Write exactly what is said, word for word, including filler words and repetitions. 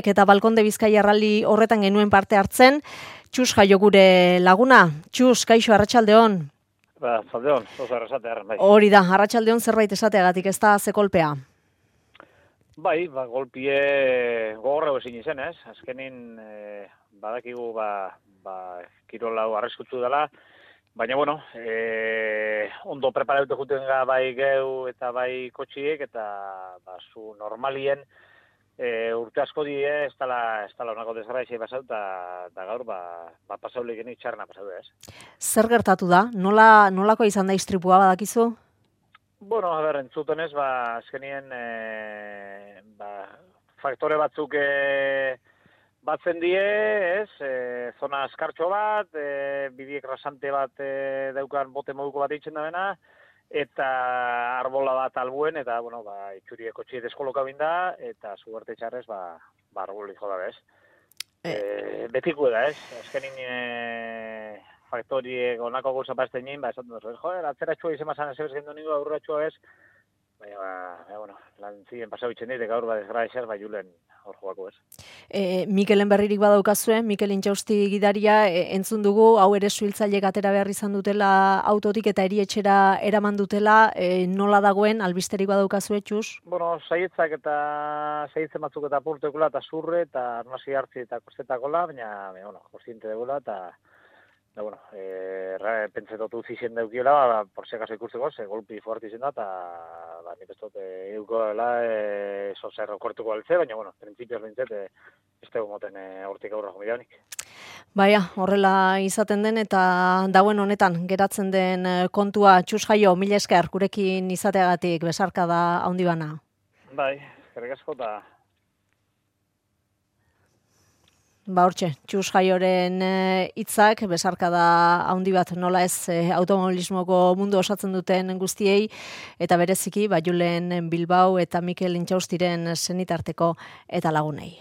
Eta Balkonde Bizkaia rally horretan genuen parte hartzen, Txus Jaio gure laguna. Txus, kaixo, arratsaldeon. Ba, zaldeon, oso arrasatearen, bai. Hori da, arratsaldeon zerbait esateagatik, ez da ze kolpea. Bai, ba, golpie gogorra ezin izen, ez? Azkenin, e, badakigu, ba, ba, kirola hau arriskutsu dela, baina, bueno, e, ondo preparatu juten ga bai geu eta bai kotxiek, eta, ba, zu normalien, E, urte asko die, ez dala, ez dala onako desgraizia pasau, eta gaur, ba, ba pasaulik genik txarna pasau, ez. Zer gertatu da? Nola, nolako izan da istripua badakizu? Bueno, a ber, entzutenez, ba, azkenien, e, ba, faktore batzuk e, batzen die, ez, e, zona eskartxo bat, e, bidiek rasante bat e, daukan bote moduko bat eitzen da bena, eta arbola bat albuen, eta, bueno, ba, itxurie kotxie deskoloka binda, eta zuerte txarrez, ba, ba arboli joda, bez. E, betiko da, ez? Azkenin e, faktoriek onako gauza bazten nien, ba, esan dut, joder, atzera txua izan mazan ezebez gendu ningu, aurra txua bez, baina, ba, ba, bueno, lan ziren pasau itxen dit, gaur ba desgraziaz, ba, julen hor joako, ez. E, Mikelen berririk badaukazue, Mikel Intxausti gidaria, e, entzun dugu, hau ere suhiltzailek atera behar izan dutela autotik eta erietxera eraman dutela, e, nola dagoen, albisterik badaukazue, Txus? Bueno, saietzak eta saietzen batzuk eta purtekula, eta zurre, eta arnasi hartzi eta kostetakola, baina, baina, bueno, kostiente degula, eta, da, bueno, e, pentsetotu zizien daukiola, ba, por si acaso ikusteko, ze golpi fuerte izen da, eta, ba, nik ez dut, e, euko dela, e, zozer okortuko altze, baina, bueno, prinsipioz bintzet, e, ez dugu moten e, hortik aurra jomidanik. Baina, horrela izaten den, eta dauen honetan, geratzen den kontua, Txus Jaio, mila esker, gurekin izateagatik, besarka da handi bana. Bai, eskerrik asko, eta Ba hortxe, Txus Jaioren hitzak, besarka da handi bat nola ez automobilismoko mundu osatzen duten guztiei, eta bereziki, ba, Julen Bilbao eta Mikel Intxaustiren senitarteko eta lagunei.